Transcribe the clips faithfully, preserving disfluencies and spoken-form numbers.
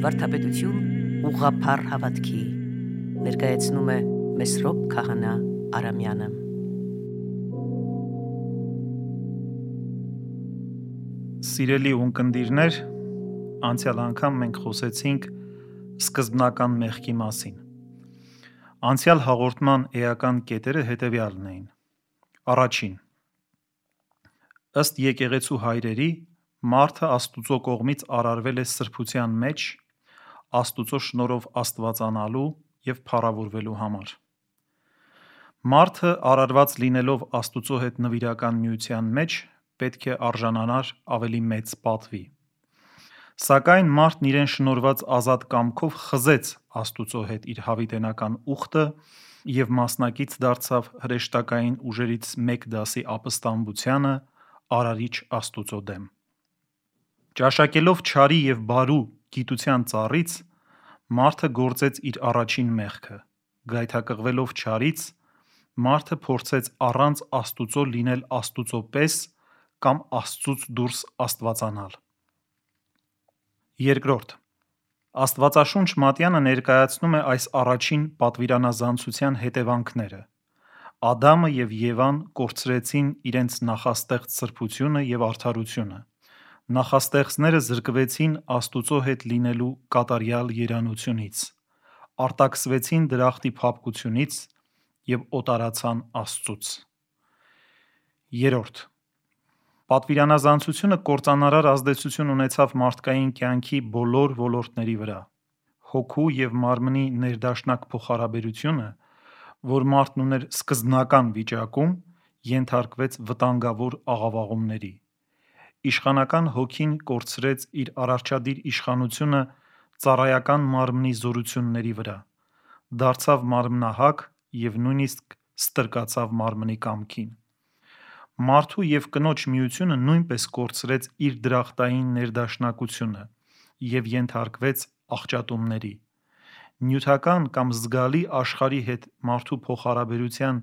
Վարդապետություն ուղղափառ հավատքի ներկայացնում է Մեսրոպ Քահանա Արամյանը։ Սիրելի ունկնդիրներ, անցյալ անգամ մենք խոսեցինք սկզբնական մեղքի մասին։ Անցյալ հաղորդման էական կետերը հետևյալն էին։ Առաջին. ըստ եկեղեցու հայրերի, մարդը Աստուծո կողմից արարվել է սրբության մեջ, Աստուծո շնորհով աստվածանալու և փառավորվելու համար։ Մարդը արարված լինելով Աստուծո հետ նվիրական միության մեջ, պետք է արժանանար ավելի մեծ պատվի։ Սակայն մարդն իրեն շնորհված ազատ կամքով խզեց Աստուծո հետ իր հավիտենական ուխտը և մասնակից դարձավ հրեշտակային ուժերից մեկ դասի ապստամբությանը Արարիչ Աստուծո դեմ։ Ճաշակելով չարի և բարու գիտության ծառից, մարդը գործեց իր առաջին մեղքը։ Գայթակղվելով չարից, մարդը փորձեց առանց Աստուծո լինել Աստուծո պես կամ Աստծուց դուրս աստվածանալ։ Երկրորդ. Աստվածաշունչ Մատյանը ներկայացնում է այս առաջին պատվիրանազանցության հետևանքները։ Ադամը և Եվան կորցրեցին իրենց նախաստեղծ սրբությունը և արդարությունը։ Նախաստեղծները զրկվեցին Աստուծո հետ լինելու կատարյալ երանությունից, արտաքսվեցին դրախտի փափկությունից և օտարացան Աստծուց։ Երրորդ. Պատվիրանազանցությունը կործանարար ազդեցություն ունեցավ մարդկային կյանքի բոլոր ոլորտների վրա։ Հոգու և մարմնի ներդաշնակ փոխհարաբերությունը, որ մարդն ուներ սկզբնական վիճակում, ենթարկվեց վտանգավոր աղավաղումների։ Իշխանական հոգին կորցրեց իր արարչադիր իշխանությունը ծառայական մարմնի զորությունների վրա, դարձավ մարմնահակ և նույնիսկ ստրկացավ մարմնի կամքին։ Մարդու և կնոջ միությունը նույնպես կորցրեց իր դրախտային ներդաշնակությունը և ենթարկվեց աղճատումների։ Նյութական կամ զգալի աշխարհի հետ մարդու փոխհարաբերության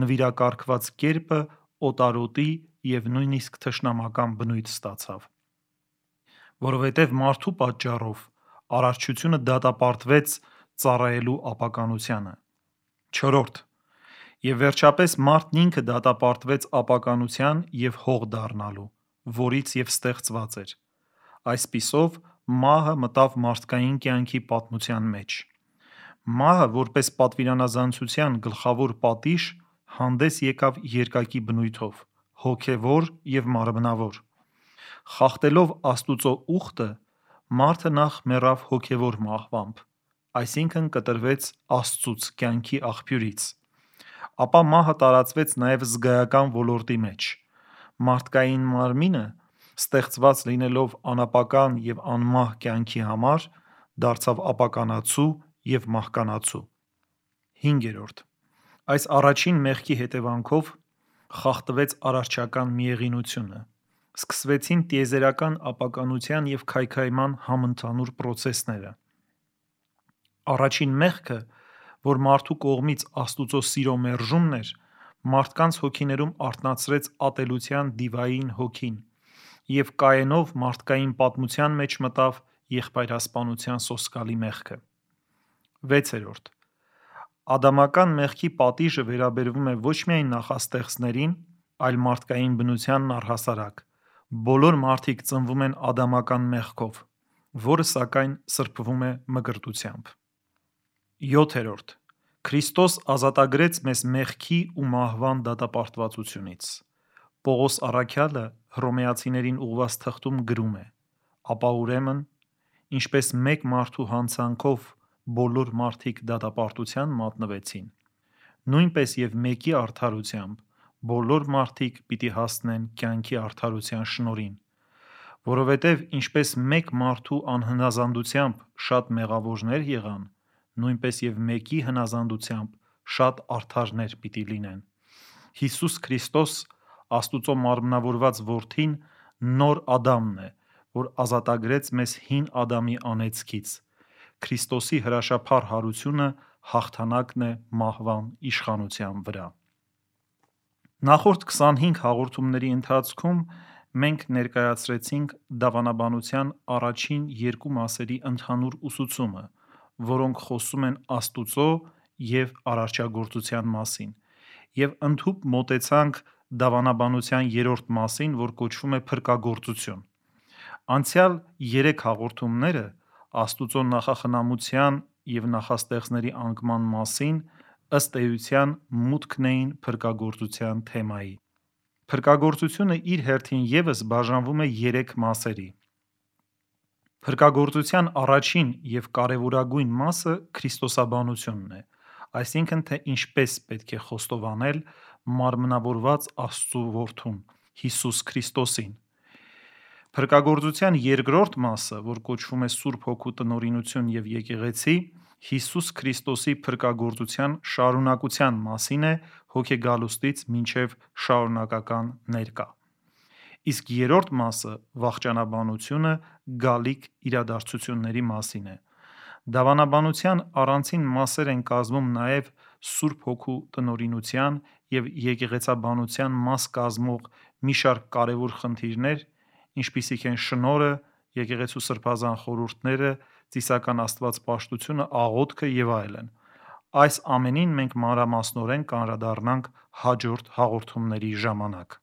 նվիրակարգված կերպը օտարոտի և նույնիսկ թշնամական բնույթ ստացավ։ Որովհետև մարդու պատճառով արարչությունը դատապարտվեց ծառայելու ապականությանը։ Չորրորդ. Եվ վերջապես մարդն ինքը դատապարտվեց ապականության և հող դառնալու, որից և ստեղծված էր։ Այսպիսով, մահը մտավ մարդկային կյանքի պատմության մեջ։ Մահը, որպես պատվիրանազանցության գլխավոր պատիժ, հանդես եկավ երկակի բնույթով՝ հոգևոր և մարմնավոր։ Խախտելով Աստուծո ուխտը, մարդը նախ մեռավ հոգևոր մահվամբ, այսինքն կտրվեց Աստծուց, կյանքի աղբյուրից։ Ապա մահը տարածվեց նաև զգայական ոլորտի մեջ։ Մարդկային մարմինը, ստեղծված լինելով անապական և անմահ կյանքի համար, դարձավ ապականացու և մահկանացու։ Հինգերորդ. Այս առաջին մեղքի հետևանքով խախտվեց արարչական միեղինությունը։ Սկսվեցին տիեզերական ապականության և քայքայման համընդհանուր պրոցեսները։ Առաջին մեղքը, որ մարդու կողմից Աստուծո սիրո մերժումն էր, մարդկանց հոգիներում արթնացրեց ատելության դիվային հոգին և Կայենով մարդկային պատմության մեջ մտավ եղբայրասպանության սոսկալի մեղքը։ Վեցերորդ. Ադամական մեղքի պատիժը վերաբերվում է ոչ միայն նախաստեղծներին, այլ մարդկային բնությանն առհասարակ։ Բոլոր մարդիկ ծնվում են ադամական մեղքով, որը սակայն սրբվում է մկրտությամբ։ Յոթերորդ. Քրիստոս ազատագրեց մեզ մեղքի ու մահվան դատապարտվածությունից։ Պողոս առաքյալը Հռոմեացիներին ուղղված թղթում գրում է. «Ապա ուրեմն, ինչպես մեկ մարդու հանցանքով բոլոր մարդիկ դատապարտության մատնվեցին, նույնպես և մեկի արդարությամբ բոլոր մարդիկ պիտի հասնեն կյանքի արդարության շնորհին։ Որովհետև ինչպես մեկ մարդու անհնազանդությամբ շատ մեղավորներ եղան, նույնպես և մեկի հնազանդությամբ շատ արդարներ պիտի լինեն։ Հիսուս Քրիստոս, Աստուծո մարմնավորված Որդին, նոր Ադամն է, որ ազատագրեց մեզ հին Ադամի անեծքից։ Քրիստոսի հրաշափառ հարությունը հաղթանակն է մահվան իշխանության վրա։ Նախորդ քսանհինգ հաղորդումների ընթացքում մենք ներկայացրեցինք դավանաբանության առաջին երկու մասերի ընդհանուր ուսուցումը, որոնք խոսում են Աստուծո և արարչագործության մասին, և ընդհուպ մոտեցանք դավանաբանության երրորդ մասին, որ կոչվում է փրկagործություն։ Անցյալ երեք հաղորդումները Աստուծո նախախնամության և նախաստեղծների անկման մասին ըստ էության մուտքն էին փրկagործության թեմայի։ Փրկagործությունը իր հերթին ևս բաժանվում է երեք մասերի։ Փրկagործության առաջին և կարևորագույն մասը քրիստոսաբանությունն է, այսինքն թե ինչպես պետք է խոստովանել մարմնավորված Աստծու Որդուն՝ Հիսուս Քրիստոսին։ Փրկagործության երկրորդ մասը, որ կոչվում է Սուրբ Հոգու տնօրինություն և եկեղեցի, Հիսուս Քրիստոսի փրկagործության շարունակության մասին է հոգեգալուստից մինչև շարունակական ներկա։ Իսկ երրորդ մասը՝ վախճանաբանությունը, գալիք իրադարձությունների մասին է։ Դավանաբանության առանցին մասեր են կազմում նաև Սուրբ Հոգու տնօրինության և եկեղեցաբանության մաս կազմող մի շարք կարևոր խնդիրներ, ինչպիսիք են շնորհը, եկեղեցու սրբազան խորհուրդները, ծիսական աստվածպաշտությունը, աղոթքը և այլն։ Այս ամենին մենք մանրամասնորեն կանդրադառնանք հաջորդ հաղորդումների ժամանակ։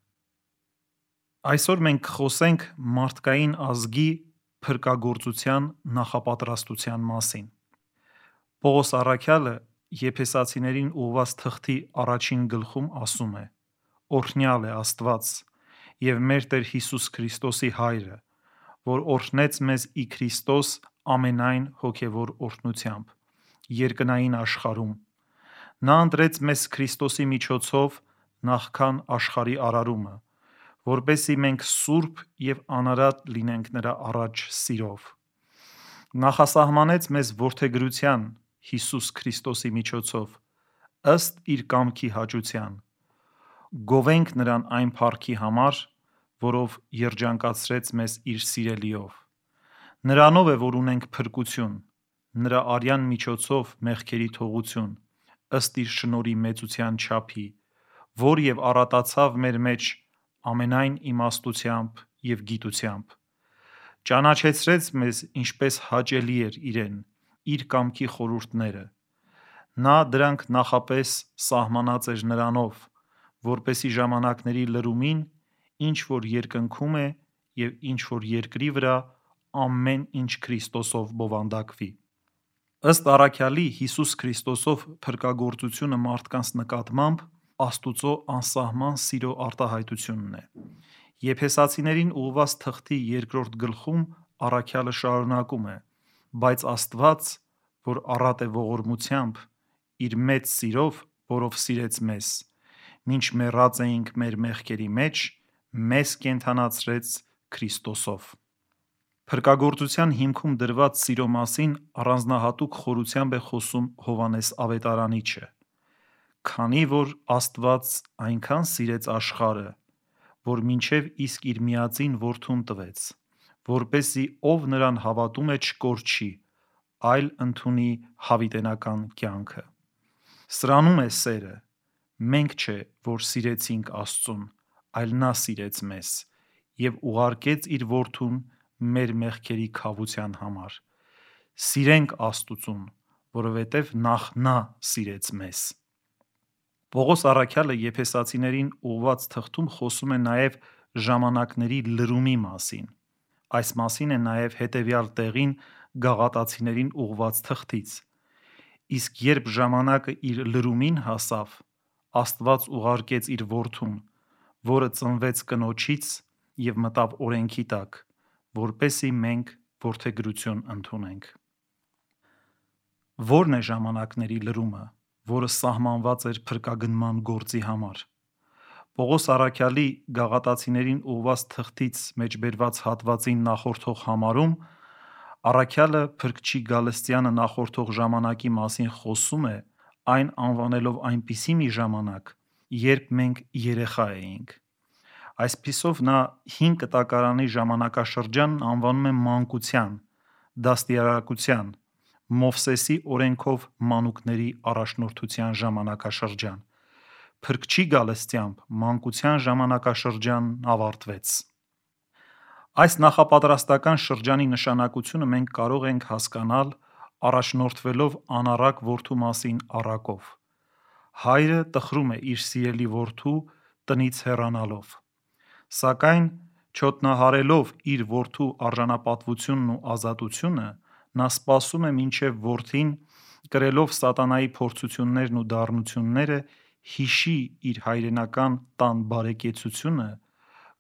Այսօր մենք կխոսենք մարդկային ազգի փրկagործության նախապատրաստության մասին։ Պողոս առաքյալը Եփեսացիներին ուղղված թղթի առաջին գլխում ասում է. «Օրհնյալ է Աստված և մեր Տեր Հիսուս Քրիստոսի Հայրը, որ օրհնեց մեզ ի Քրիստոս ամենայն հոգևոր օրհնությամբ, երկնային աշխարհում։ Նա ընտրեց մեզ Քրիստոսի միջոցով նախքան աշխարհի արարումը, որպեսզի մենք սուրբ և անարատ լինենք նրա առաջ սիրով։ Նախասահմանեց մեզ որդեգրության Հիսուս Քրիստոսի միջոցով, ըստ իր կամքի հաճության, գովենք նրան այն փառքի համար, որով երջանկացրեց մեզ իր սիրելիով։ Նրանով է, որ ունենք փրկություն, նրա արյան միջոցով մեղքերի թողություն, ըստ իր շնորհի մեծության չափի, որ և առատացավ մեր մեջ ամենայն իմաստությամբ և գիտությամբ։ Ճանաչեցրեց մեզ, ինչպես հաճելի էր իրեն, իր կամքի խորհուրդները։ Նա դրանք նախապես սահմանած էր նրանով, որպեսզի ժամանակների լրումին, ինչ որ երկնքում է և ինչ որ երկրի վրա, ամեն ինչ Քրիստոսով բովանդակվի։ Ըստ առաքյալի, Հիսուս Քրիստոսով փրկagործությունը մարդկանց նկատմամբ Աստուծո անսահման սիրո արտահայտությունն է։ Եփեսացիներին ուղղված թղթի երկրորդ գլխում առաքյալը շարունակում է. «Բայց Աստված, որ առատ է ողորմությամբ, իր մեծ սիրով, որով սիրեց մեզ, մինչ մեռած էինք մեր մեղքերի մեջ, մեզ կենդանացրեց Քրիստոսով»։ Փրկagործության հիմքում դրված սիրո մասին առանձնահատուկ խորությամբ է խոսում Հովհաննես Ավետարանիչը։ Քանի որ Աստված այնքան սիրեց աշխարհը, որ մինչև իսկ իր միածին Որդուն տվեց, որպեսզի ով նրան հավատում է չկորչի, այլ ընդունի հավիտենական կյանքը։ Սրանում է սերը, մենք չէ, որ սիրեցինք Աստծուն, այլ նա սիրեց մեզ և ուղարկեց իր Որդուն մեր մեղքերի քավության համար։ Սիրենք Աստուծուն, որովհետև նախ նա սիրեց մեզ։ Պողոս առաքյալը Եփեսացիներին ուղղված թղթում խոսում է նաև ժամանակների լրումի մասին։ Այս մասին է նաև հետևյալ տեղին Գաղատացիներին ուղղված թղթից. «Իսկ երբ ժամանակը իր լրումին հասավ, Աստված ուղարկեց իր Որդուն, որը ծնվեց կնոջից և մտավ օրենքի տակ, որպեսզի մենք որդեգրություն ընդունենք»։ Ո՞րն է ժամանակների լրումը, որը սահմանված էր փրկագնման գործի համար։ Պողոս առաքյալի Գաղատացիներին ուղղված թղթից մեջբերված հատվածին նախորդող համարում առաքյալը Փրկչի գալստյանը նախորդող ժամանակի մասին խոսում է, այն անվանելով այնպիսի մի ժամանակ, երբ մենք երեխա էինք։ Այսպիսով նա հին կտակարանի ժամանակաշրջանն անվանում է մանկության, դաստիարակության, Մովսեսի օրենքով մանուկների առաջնորդության ժամանակաշրջան։ Փրկչի գալստյամբ մանկության ժամանակաշրջանն ավարտվեց։ Այս նախապատրաստական շրջանի նշանակությունը մենք կարող ենք հասկանալ առաջնորդվելով անառակ որդու մասին առակով։ Հայրը տխրում է իր սիրելի որդու տնից հեռանալով, սակայն չոտնահարելով իր որդու արժանապատվությունն ու ազատությունը, նա սպասում է մինչև որդին, կրելով սատանայի փորձություններն ու դառնությունները, հիշի իր հայրենական տան բարեկեցությունը,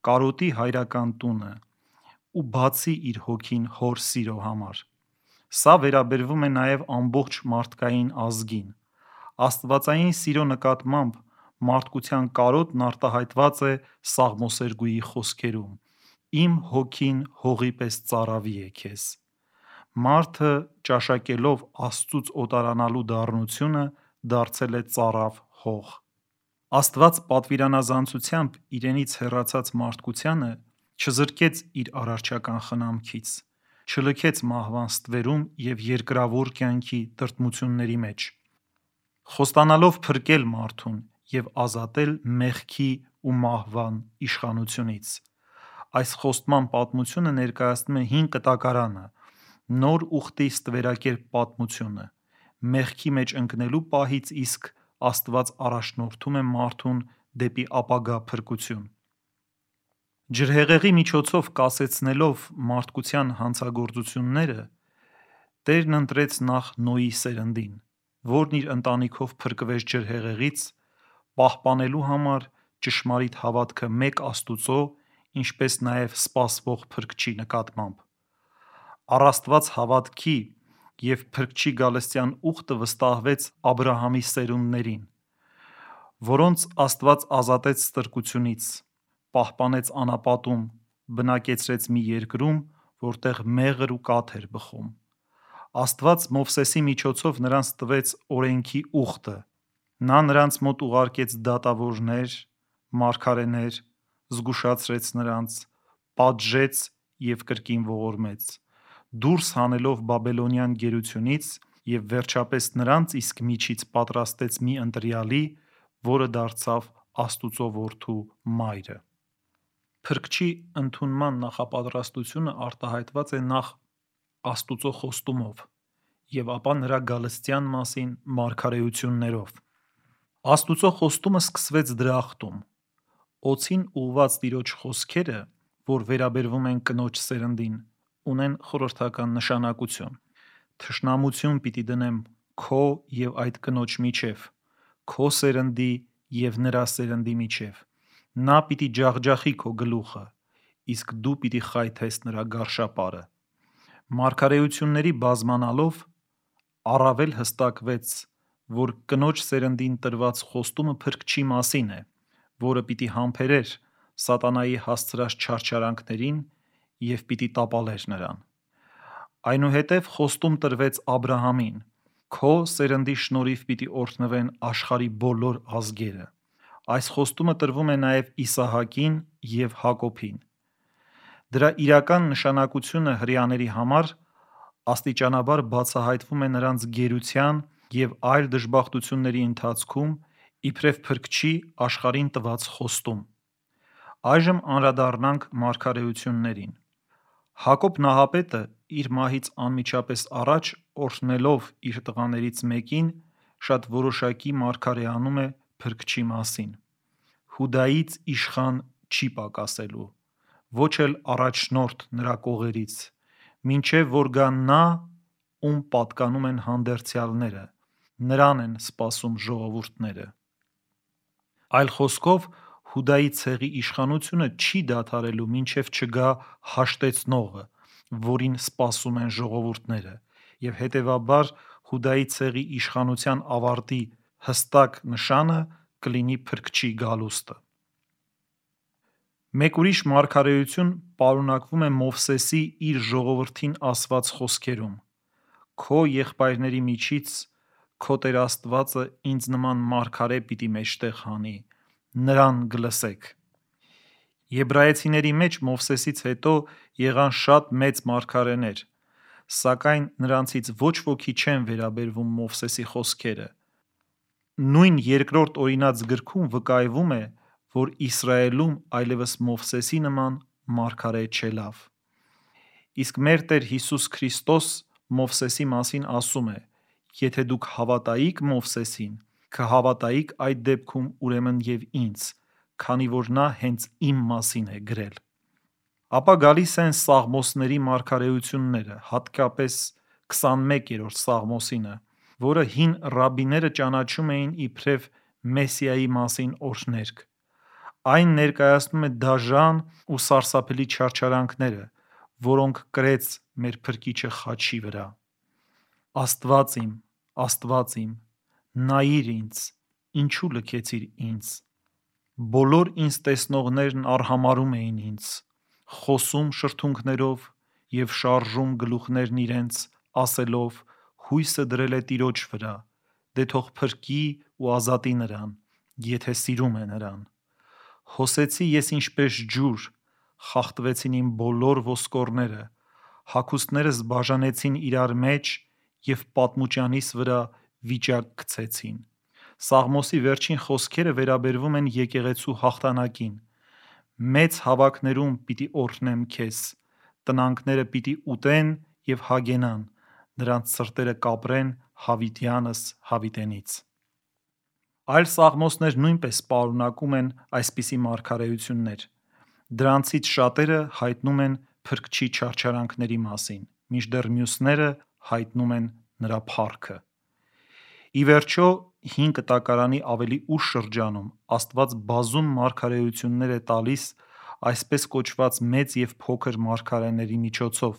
կարոտի հայրական տունը ու բացի իր հոգին հոր սիրո համար։ Սա վերաբերվում է նաև ամբողջ մարդկային ազգին։ Աստվածային սիրո նկատմամբ մարդկության կարոտն արտահայտված է Սաղմոսերգուի խոսքերում. «Իմ հոգին հողի պես ծարավի է քեզ»։ Մարդը ճաշակելով Աստծուց օտարանալու դառնությունը դարձել է ծարավ հող։ Աստված պատվիրանազանցությամբ իրենից հեռացած մարդկությանը չզրկեց իր արարչական խնամքից, չլքեց մահվան ստվերում և երկրավոր կյանքի տրտմությունների մեջ, խոստանալով փրկել մարդուն և ազատել մեղքի ու մահվան իշխանությունից։ Այս խոստման պատմությունը ներկայացնում է հին կտակարանը, նոր ուխտի ստվերակերպ պատմությունը։ Մեղքի մեջ ընկնելու պահից իսկ Աստված առաջնորդում է մարդուն դեպի ապագա փրկություն։ Ջրհեղեղի միջոցով կասեցնելով մարդկության հանցագործությունները, Տերն ընտրեց նախ Նոյի սերնդին, որն իր ընտանիքով փրկվեց ջրհեղեղից, պահպանելու համար ճշմարիտ հավատքը մեկ Աստուծո, ինչպես նաև սպասվող Փրկչի նկատմամբ։ Առ հավատքի և Փրկչի գալստյան ուխտը վստահվեց Աբրահամի սերունդներին, որոնց Աստված ազատեց ստրկությունից, պահպանեց անապատում, բնակեցրեց մի երկրում, որտեղ մեղր ու կաթ էր բխում։ Աստված Մովսեսի միջոցով նրանց տվեց օրենքի ուխտը։ Նա նրանց մոտ ուղարկեց դատավորներ, մարգարեներ, զգուշացրեց նրանց, պատժեց և կրկին ողորմեց, դուրս հանելով բաբելոնյան գերությունից և վերջապես նրանց իսկ միջից պատրաստեց մի ընտրյալի, որը դարձավ Աստուծո Որդու մայրը։ Փրկչի ընդունման նախապատրաստությունը արտահայտված է նախ Աստուծո խոստումով և ապա նրա գալստյան մասին մարգարեություններով։ Աստուծո խոստումը սկսվեց դրախտում։ Օձին ուղղված Տիրոջ խոսքերը, որ վերաբերվում են կնոջ սերնդին, ունեն խորհրդական նշանակություն։ Թշնամություն պիտի դնեմ քո և այդ կնոջ միջև, քո սերնդի և նրա սերնդի միջև։ Նա պիտի ջախջախի քո գլուխը, իսկ դու պիտի խայթես նրա գարշապարը։ Մարգարեությունների բազմանալով առավել հստակվեց, որ կնոջ սերնդին տրված խոստումը Փրկչի մասին է, որը պիտի համբերեր սատանայի հասցրած չարչարանքներին և պիտի տապալեր նրան։ Այնուհետև խոստում տրվեց Աբրահամին. «Քո սերնդի շնորհիվ պիտի օրհնվեն աշխարհի բոլոր ազգերը»։ Այս խոստումը տրվում է նաև Իսահակին և Հակոբին։ Դրա իրական նշանակությունը հրեաների համար աստիճանաբար բացահայտվում է նրանց գերության և այլ դժբախտությունների ընթացքում իբրև Փրկչի աշխարհին տված խոստում։ Այժմ անդրադառնանք մարգարեություններին։ Հակոբ Նահապետը իր մահից անմիջապես առաջ օրհնելով իր տղաներից մեկին, շատ որոշակի մարգարեանում է Փրկչի մասին։ Հուդայից իշխան չի պակասելու, ոչ էլ առաջնորդ նրա կողերից, մինչև որ գա նա, ում պատկանում են հանդերձյալները, նրան են սպասում ժողովուրդները։ Այլ խոսքով, Հուդայի ցեղի իշխանությունը չի դադարելու, մինչև չգա հաշտեցնողը, որին սպասում են ժողովուրդները, և հետևաբար Հուդայի ցեղի իշխանության ավարտի հստակ նշանը կլինի Փրկչի գալուստը։ Մեկ ուրիշ մարգարեություն պարունակվում է Մովսեսի իր ժողովրդին ասված խոսքերում. «Քո եղբայրների միջից քո Տեր Աստվածը ինձ նման մարգարե պիտի մեջտեղ հանի, նրան կլսեք»։ Եբրայեցիների մեջ Մովսեսից հետո եղան շատ մեծ մարգարեներ, սակայն նրանցից ոչ ոքի չեն վերաբերվում Մովսեսի խոսքերը։ Նույն երկրորդ օրինաց գրքում վկայվում է, որ Իսրայելում այլևս Մովսեսի նման մարգարե չելավ։ Իսկ մեր Տեր Հիսուս Քրիստոս Մովսեսի մասին ասում է. «Եթե դուք հավատայիք Մովսեսին, կհավատայիք այդ դեպքում ուրեմն և ինձ, քանի որ նա հենց իմ մասին է գրել»։ Ապա գալիս են Սաղմոսների մարգարեությունները, հատկապես քսանմեկերորդ Սաղմոսինը, որը հին ռաբբիները ճանաչում էին իբրև Մեսիայի մասին օրհներգ։ Այն ներկայացնում է դաժան ու սարսափելի չարչարանքները, որոնք կրեց մեր Փրկիչը խաչի վրա. «Աստվա՛ծ իմ, Աստվա՛ծ իմ, նայիր ինձ, ինչու լքեցիր ինձ»։ Բոլոր ինձ տեսնողներն արհամարհում էին ինձ, խոսում շրթունքներով և շարժում գլուխներն իրենց, ասելով. «Հույսը դրել է Տիրոջ վրա, դե թող փրկի ու ազատի նրան, եթե սիրում է նրան»։ Հոսեցի ես ինչպես ջուր, խախտվեցին իմ բոլոր ոսկորները, հագուստներս բաժանեցին իրար մեջ և պատմուճյանիս վրա վիճակ գցեցին։ Սաղմոսի վերջին խոսքերը վերաբերվում են եկեղեցու հաղթանակին. «Մեծ հավաքներում պիտի օրհնեմ քեզ, տնանքները պիտի ուտեն և հագենան, նրանց սրտերը կապրեն հավիտյանս հավիտենից»։ Այլ սաղմոսներ նույնպես պարունակում են այսպիսի մարգարեություններ։ Դրանցից շատերը հայտնում են Փրկչի չարչարանքների մասին, մինչդեռ մյուսները հայտնում են նրա փառքը։ Ի վերջո, հին Կտակարանի ավելի ուշ շրջանում Աստված բազում մարգարեություններ է տալիս այսպես կոչված մեծ և փոքր մարգարեների միջոցով,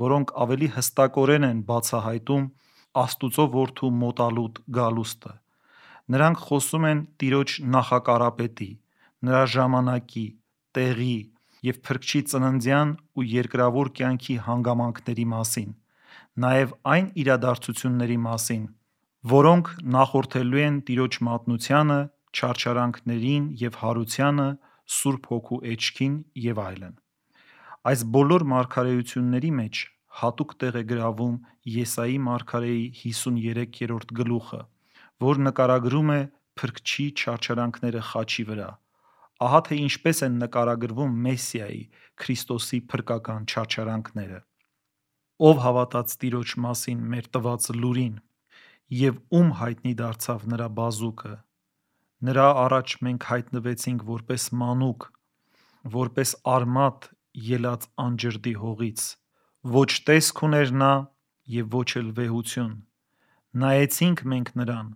որոնք ավելի հստակորեն են բացահայտում Աստծո Որդու մոտալուտ գալուստը։ Նրանք խոսում են Տիրոջ նախակարապետի, նրա ժամանակի, տեղի և Փրկչի ծննդյան ու երկրավոր կյանքի հանգամանքների մասին, նաև այն իրադարձությունների մասին, որոնք նախորդելու են Տիրոջ մատնությանը, չարչարանքներին և հարությանը, Սուրբ Հոգու էջքին և այլն։ Այս բոլոր մարգարեությունների մեջ հատուկ տեղ է գրավում Եսայի մարգարեի հիսուներեքերորդ գլուխը, որ նկարագրում է Փրկչի չարչարանքները խաչի վրա։ Ահա թե ինչպես են նկարագրվում Մեսիայի՝ Քրիստոսի փրկական չարչարանքները. «Ով հավատաց Տիրոջ մասին մեր տված լուրին, և ում հայտնի դարձավ նրա բազուկը։ Նրա առաջ մենք հայտնվեցինք որպես մանուկ, որպես արմատ ելած անջրդի հողից։ Ոչ տեսք ուներ նա և ոչ էլ վեհություն։ Նայեցինք մենք նրան,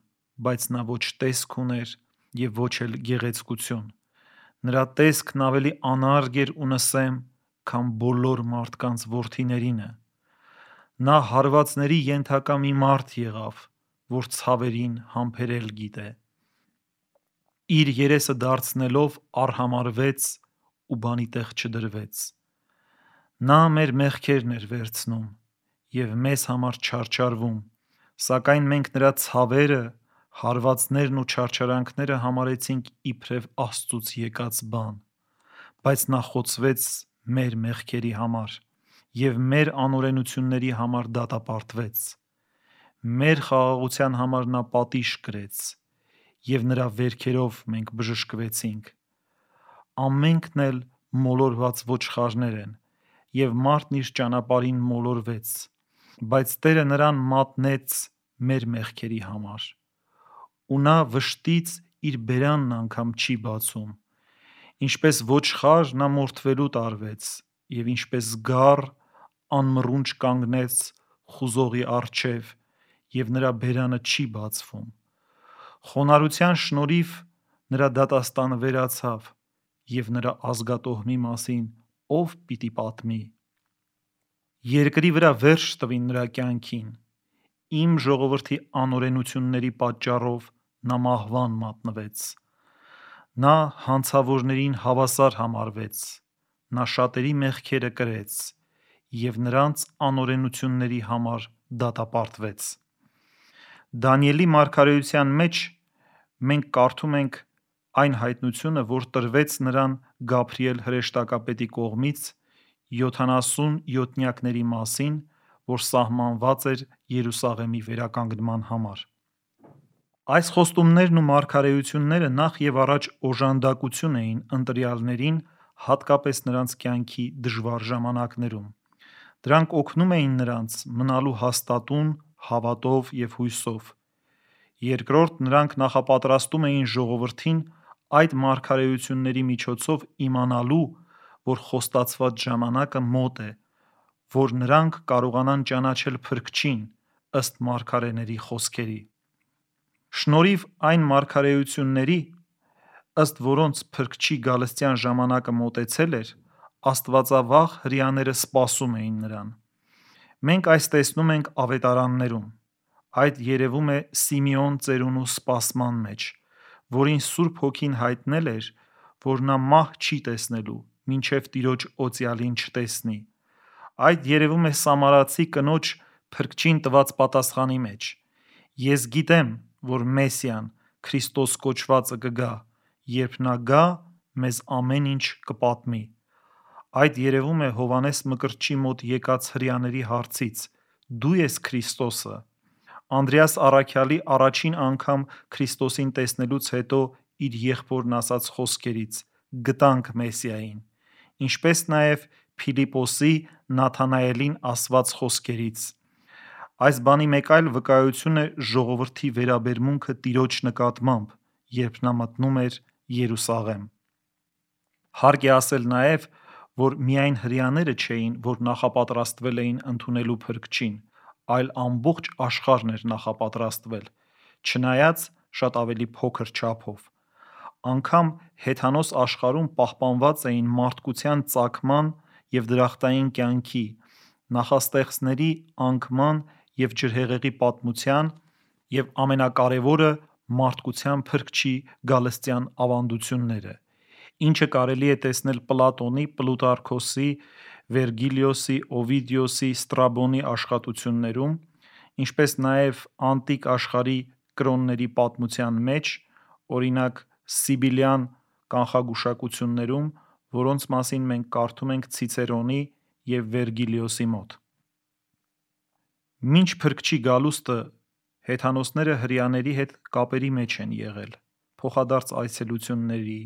բայց նա ոչ տեսք ուներ և ոչ էլ գեղեցկություն։ Նրա տեսքն ավելի անարգ էր ու նսեմ, քան բոլոր մարդկանց որդիներինը։ Նա հարվածների ենթակա մի մարդ եղավ, որ ցավերին համբերել գիտե։ Իր երեսը դարձնելով արհամարհվեց ու բանի տեղ չդրվեց։ Նա մեր մեղքերն էր վերցնում և մեզ համար չարչարվում, սակայն մենք նրա ցավերը, հարվածներն ու չարչարանքները համարեցինք իբրև Աստծուց եկած բան։ Բայց նա խոցվեց մեր մեղքերի համար և մեր անօրենությունների համար դատապարտվեց։ Մեր խաղաղության համար նա պատիժ կրեց, և նրա վերքերով մենք բժշկվեցինք։ Ամենքն էլ մոլորված ոչխարներ են, և մարդն իր ճանապարհին մոլորվեց, բայց Տերը նրան մատնեց մեր մեղքերի համար։ Ու նա վշտից իր բերանն անգամ չի բացում։ Ինչպես ոչխար նա մորթվելու տարվեց, և ինչպես գառ անմռունչ կանգնեց խուզողի առջև, և նրա բերանը չի բացվում։ Խոնարհության շնորհիվ նրա դատաստանը վերացավ, և նրա ազգատոհմի մասին ո՞վ պիտի պատմի։ Երկրի վրա վերջ տվին նրա կյանքին։ Իմ ժողովրդի անօրենությունների պատճառով նա մահվան մատնվեց։ Նա հանցավորներին հավասար համարվեց, նա շատերի մեղքերը կրեց և նրանց անօրենությունների համար դատապարտվեց։ Դանիելի մարգարեության մեջ մենք կարդում ենք այն հայտնությունը, որ տրվեց նրան Գաբրիել հրեշտակապետի կողմից յոթանասունյոթնյակների մասին, որ սահմանված էր Երուսաղեմի վերականգնման համար։ Այս խոստումներն ու մարգարեությունները նախ եւ առաջ օժանդակություն էին ընտրյալներին, հատկապես նրանց կյանքի դժվար ժամանակներում։ Դրանք օգնում էին նրանց մնալու հաստատուն, հավատով եւ հույսով։ Երկրորդ, նրանք նախապատրաստում էին ժողովրդին այդ մարգարեությունների միջոցով իմանալու, որ խոստացված ժամանակը մոտ է, որ նրանք կարողանան ճանաչել Փրկչին ըստ մարգարեների խոսքերի։ Շնորհիվ այն մարգարեությունների, ըստ որոնց Փրկչի գալստյան ժամանակը մոտեցել էր, աստվածավախ հրեաները սպասում էին նրան։ Մենք այս տեսնում ենք ավետարաններում։ Այդ երևում է Սիմեոն ծերունու սպասման մեջ, որին Սուրբ Հոգին հայտնել էր, որ նա մահ չի տեսնելու, մինչև Տիրոջ օծյալին չտեսնի։ Այդ երևում է սամարացի կնոջ Փրկչին տված պատասխանի մեջ. «Ես գիտեմ, որ Մեսիան, Քրիստոս կոչվածը կգա, երբ նա գա, մեզ ամեն ինչ կպատմի»։ Այդ երևում է Հովհաննես Մկրտչի մոտ եկած հրեաների հարցից. «Դու ես Քրիստոսը»։ Անդրեաս Առաքյալի առաջին անգամ Քրիստոսին տեսնելուց հետո իր եղբորն ասած խոսքերից. «Գտանք Մեսիային», ինչպես նաև Փիլիպոսի Նաթանայելին ասված խոսքերից։ Այս բանի մեկ այլ վկայություն է ժողովրդի վերաբերմունքը Տիրոջ նկատմամբ, երբ նա մտնում էր Երուսաղեմ։ Հարկ է ասել նաև, որ միայն հրեաները չէին, որ նախապատրաստվել էին ընդունելու Փրկչին, այլ ամբողջ աշխարհն էր նախապատրաստվել, չնայած շատ ավելի փոքր չափով։ Անգամ հեթանոս աշխարհում պահպանված էին մարդկության ծագման և դրախտային կյանքի, նախաստեղծների անկման և ջրհեղեղի պատմության և ամենակարևորը մարդկության Փրկչի գալստյան ավանդությունները, ինչը կարելի է տեսնել Պլատոնի, Պլուտարքոսի, Վերգիլիոսի, Օվիդիոսի, Ստրաբոնի աշխատություններում, ինչպես նաև անտիկ աշխարհի կրոնների պատմության մեջ, օրինակ Սիբիլյան կանխագուշակություններում, որոնց մասին մենք կարդում ենք Ցիցերոնի և Վերգիլիոսի մոտ։ Մինչ Փրկչի գալուստը հեթանոսները հրեաների հետ կապերի մեջ են եղել, փոխադարձ այցելությունների,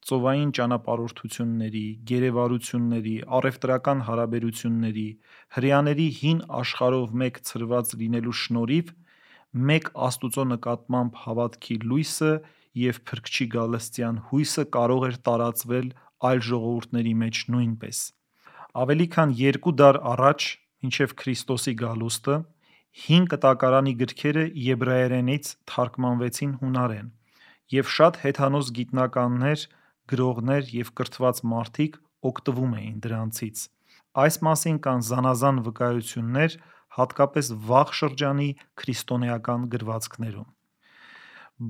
ծովային ճանապարհորդությունների, գերեվարությունների, առևտրական հարաբերությունների, հրեաների հին աշխարհով մեկ ցրված լինելու շնորհիվ մեկ Աստուծո նկատմամբ հավատքի լույսը և Փրկչի գալստյան հույսը կարող էր տարածվել այլ ժողովուրդների մեջ նույնպես։ Ավելի քան երկու դար առաջ, մինչև Քրիստոսի գալուստը, հին կտակարանի գրքերը եբրայերենից թարգմանվեցին հունարեն, և շատ հեթանոս գիտնականներ, գրողներ և կրթված մարդիկ օգտվում էին դրանցից։ Այս մասին կան զանազան վկայություններ, հատկապես վաղ շրջանի քրիստոնեական գրվածքներում։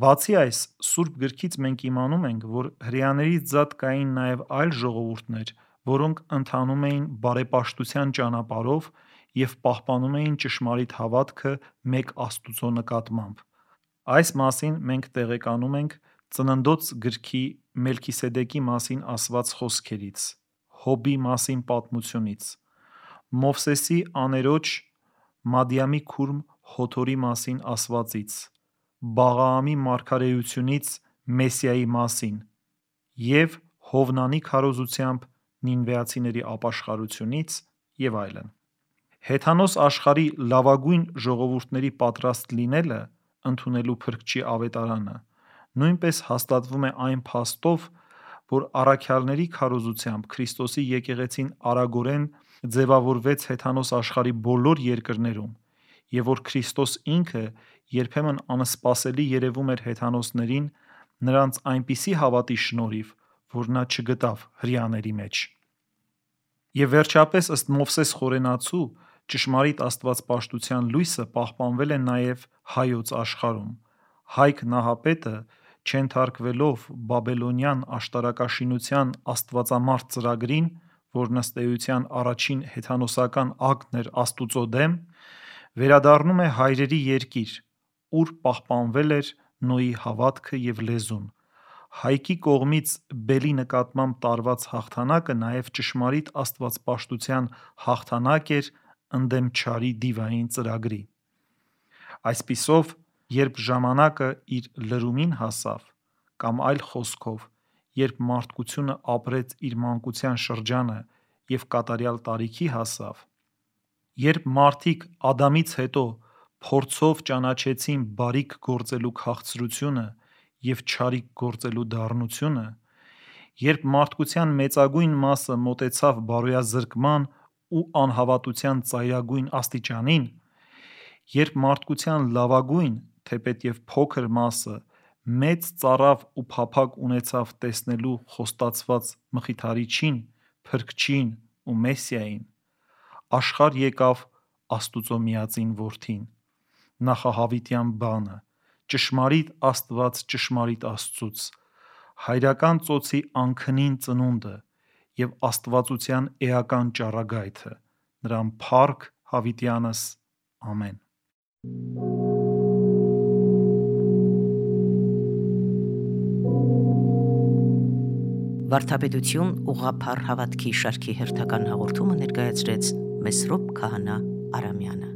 Բացի այս, Սուրբ գրքից մենք իմանում ենք, որ հրեաներից զատ կային նաև այլ ժողովուրդներ, որոնք ընթանում էին բարեպաշտության ճանապարհով և պահպանում էին ճշմարիտ հավատքը մեկ Աստուծո նկատմամբ։ Այս մասին մենք տեղեկանում ենք Ծննդոց գրքի Մելքիսեդեկի մասին ասված խոսքերից, Հոբի մասին պատմությունից, Մովսեսի աներոջ Մադիամի քուրմ Հոթորի մասին ասվածից, Բաղաամի մարգարեությունից Մեսիայի մասին և Հովնանի քարոզությամբ նինվեացիների ապաշխարությունից և այլն։ Հեթանոս աշխարհի լավագույն ժողովուրդների պատրաստ լինելը ընդունելու Փրկչի ավետարանը նույնպես հաստատվում է այն փաստով, որ առաքյալների քարոզությամբ Քրիստոսի եկեղեցին արագորեն ձևավորվեց հեթանոս աշխարհի բոլոր երկրներում, և որ Քրիստոս ինքը երբեմն անսպասելի երևում էր հեթանոսներին նրանց այնպիսի հավատի շնորհիվ, որ նա չգտավ հրեաների մեջ։ Եվ վերջապես, ըստ Մովսես խորենացու, ճշմարիտ աստվածպաշտության լույսը պահպանվել է նաև Հայոց աշխարհում։ Հայք Նահապետը, չենթարկվելով բաբելոնյան աշտարակաշինության աստվածամարդ ծրագրին, որն ըստ էության առաջին հեթանոսական ակտն էր Աստուծո դեմ, վերադառնում է հայրերի երկիր, ուր պահպանվել էր Նոյի հավատքը և լեզուն, Հայկի կողմից Բելի նկատմամբ տարված հաղթանակը նաև ճշմարիտ աստվածպաշտության հաղթանակ էր ընդդեմ չարի դիվային ծրագրի։ Այսպիսով, երբ ժամանակը իր լրումին հասավ, կամ այլ խոսքով, երբ մարդկությունը ապրեց իր մանկության շրջանը և կատարյալ տարիքի հասավ, երբ մարդիկ Ադամից հետո փորձով ճանաչեցին բարիք գործելու քաղցրությունը և չարիք գործելու դառնությունը, երբ մարդկության մեծագույն մասը մոտեցավ բարոյազրկման ու անհավատության ծայրագույն աստիճանին, երբ մարդկության լավագույն, թեպետև փոքր մասը մեծ ծարավ ու փափագ ունեցավ տեսնելու խոստացված Մխիթարիչին, Փրկչին ու Մեսիային, աշխարհ եկավ Աստուծո միածին Որդին, նախահավիտյան բանը, ճշմարիտ Աստված ճշմարիտ Աստծուց, հայրական ծոցի անքնին ծնունդը և աստվածության էական ճառագայթը, նրան փառք հավիտյանս, ամեն։ Վարդապետություն ուղղափառ հավատքի շարքի հերթական հաղորդումը ներկայացրեց Մեսրոպ Քահանա Արամյանը։